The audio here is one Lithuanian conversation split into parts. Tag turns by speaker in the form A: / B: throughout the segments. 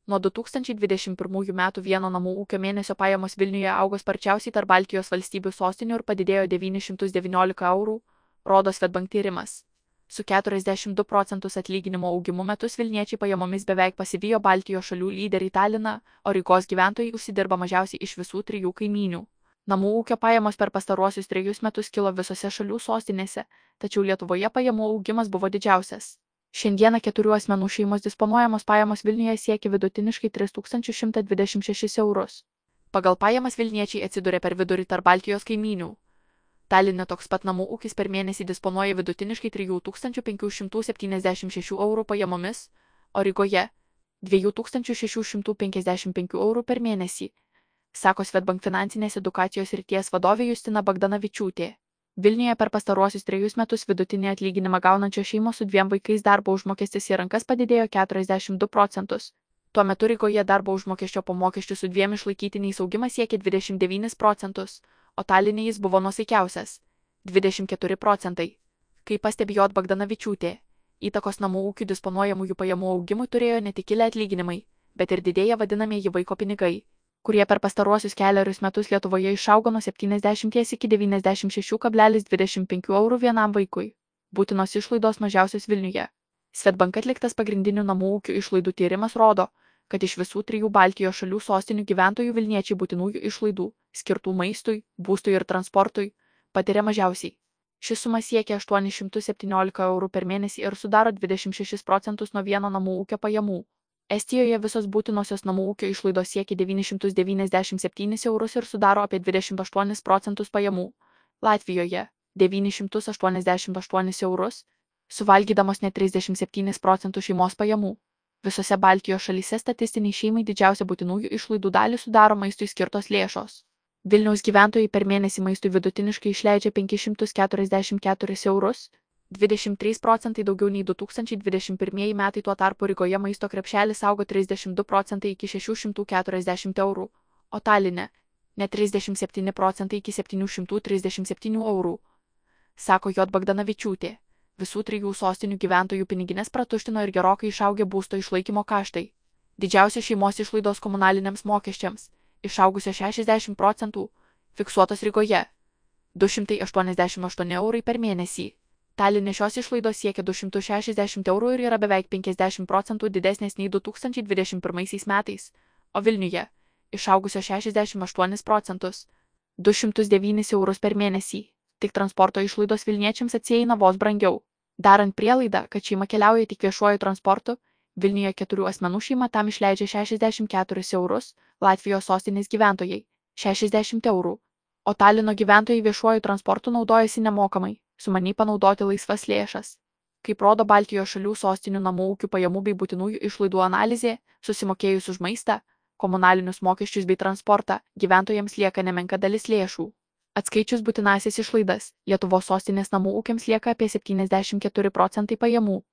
A: Nuo 2021 metų vieno namų ūkio mėnesio pajamos Vilniuje augo sparčiausiai tarp Baltijos valstybių sostinių ir padidėjo 919 eurų, rodo Swedbank tyrimas. Su 42 procentus atlyginimo augimu metus Vilniečiai pajamomis beveik pasivijo Baltijos šalių lyderį Taliną, o Rygos gyventojai užsidirba mažiausiai iš visų trijų kaimynių. Namų ūkio pajamos per pastaruosius 3 metus kilo visose šalių sostinėse, tačiau Lietuvoje pajamų augimas buvo didžiausias. Šiandieną 4 asmenų šeimos disponuojamos pajamos Vilniuje siekia vidutiniškai 3126 eurus. Pagal pajamas Vilniečiai atsiduria per vidurį tarp Baltijos kaimynių. Taline toks pat namų ūkis per mėnesį disponuoja vidutiniškai 3576 eurų pajamomis, o Rygoje 2655 eurų per mėnesį, sako Swedbank finansinės edukacijos srities vadovė Justina Bagdanavičiūtė. Vilniuje per pastaruosius 3 metus vidutinį atlyginimą gaunančios šeimos su 2 vaikais darbo užmokestis į rankas padidėjo 42 procentus. Tuo metu Rygoje darbo užmokesčio po mokesčių su 2 išlaikytiniais augimas siekia 29 procentus, o Taline jis buvo nuosaikiausias – 24 procentai. Kaip pastebėjo Bagdanavičiūtė, įtakos namų ūkių disponuojamųjų pajamų augimui turėjo ne tik kilę atlyginimai, bet ir didėję vadinamieji vaiko pinigai, kurie per pastaruosius kelerius metus Lietuvoje išaugo nuo 70 iki 96,25 eurų vienam vaikui. Būtinos išlaidos mažiausios Vilniuje. Swedbank atliktas pagrindinių namų ūkių išlaidų tyrimas rodo, kad iš visų 3 Baltijos šalių sostinių gyventojų Vilniečiai būtinųjų išlaidų, skirtų maistui, būstui ir transportui, patiria mažiausiai. Ši suma siekia 817 eurų per mėnesį ir sudaro 26 procentus nuo vieno namų ūkio pajamų. Estijoje visos būtinosios namų ūkio išlaidos siekia 997 eurus ir sudaro apie 28 procentus pajamų. Latvijoje 988 eurus, suvalgydamos net 37 procentus šeimos pajamų. Visose Baltijos šalyse statistiniai šeimai didžiausia būtinųjų išlaidų dalį sudaro maistui skirtos lėšos. Vilniaus gyventojai per mėnesį maistui vidutiniškai išleidžia 544 eurus, 23 procentai daugiau nei 2021 metai, tuo tarpu Rygoje maisto krepšelis augo 32 procentai iki 640 eurų, o Taline net 37 procentai iki 737 eurų, sako J. Bagdanavičiūtė. Visų 3 sostinių gyventojų piniginės pratuštino ir gerokai išaugę būsto išlaikymo kaštai. Didžiausios šeimos išlaidos komunaliniams mokesčiams, išaugusios 60 procentų, fiksuotos Rygoje – 288 eurai per mėnesį. Taline šios išlaidos siekia 260 eurų ir yra beveik 50 procentų didesnės nei 2021 metais, o Vilniuje – išaugusios 68 procentus – 209 eurus per mėnesį. Tik transporto išlaidos Vilniečiams atsieina vos brangiau. Darant prielaidą, kad šeima keliauja tik viešuoju transportu, Vilniuje 4 asmenų šeima tam išleidžia 64 eurus, Latvijos sostinės gyventojai – 60 eurų, o Talino gyventojai viešuoju transportu naudojasi nemokamai, sumaniai panaudoti laisvas lėšas. Kaip rodo Baltijos šalių sostinių namų ūkių pajamų bei būtinųjų išlaidų analizė, susimokėjus už maistą, komunalinius mokesčius bei transportą, gyventojams lieka nemenka dalis lėšų. Atskaičius būtinąsias išlaidas, Lietuvos sostinės namų ūkiams lieka apie 74 procentai pajamų.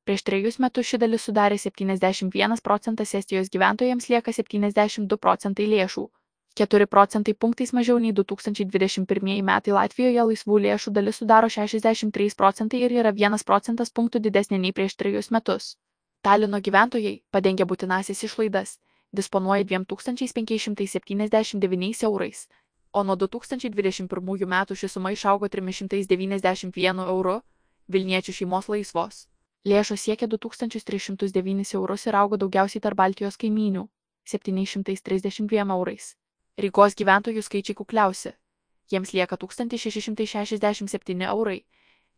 A: Prieš 3 metus ši dalis sudarė 71 procentas, Estijos gyventojams lieka 72 procentai lėšų. 4 procentai punktais mažiau nei 2021 metai Latvijoje laisvų lėšų dalis sudaro 63 procentai ir yra 1 procentas punktų didesnė nei prieš 3 metus. Talino gyventojai, padengę būtinąsias išlaidas, disponuoja 2579 eurais, o nuo 2021 metų ši suma išaugo 391 euru, Vilniečių šeimos laisvos lėšos siekia 2309 eurus ir augo daugiausiai tarp Baltijos kaimynių – 732 eurais. Rygos gyventojų skaičiai kukliausi. Jiems lieka 1667 eurai,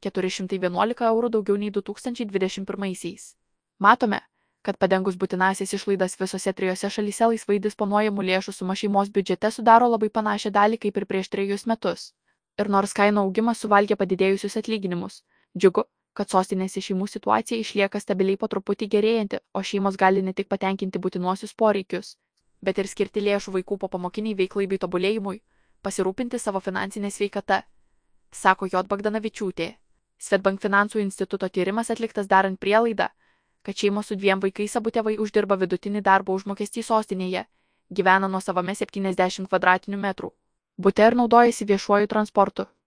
A: 411 eurų daugiau nei 2021-aisiais. Matome, kad padengus būtinąsias išlaidas visose 3 šalyse laisvai disponuojamų lėšų suma šeimos biudžete sudaro labai panašią dalį kaip ir prieš 3 metus. Ir nors kainų augimas suvalgė padidėjusius atlyginimus, džiugu, kad sostinėse šeimų situacija išlieka stabiliai po truputį gerėjanti, o šeimos gali ne tik patenkinti būtinuosius poreikius, bet ir skirti lėšų vaikų popamokiniai veiklai bei tobulėjimui, pasirūpinti savo finansinę sveikatą, sako J. Bagdanavičiūtė. Swedbank finansų instituto tyrimas atliktas darant prielaidą, kad šeimos su 2 vaikais abu tėvai uždirba vidutinį darbo užmokestį sostinėje, gyvena nuosavame 70 kvadratinių metrų bute ir naudojasi viešuoju transportu.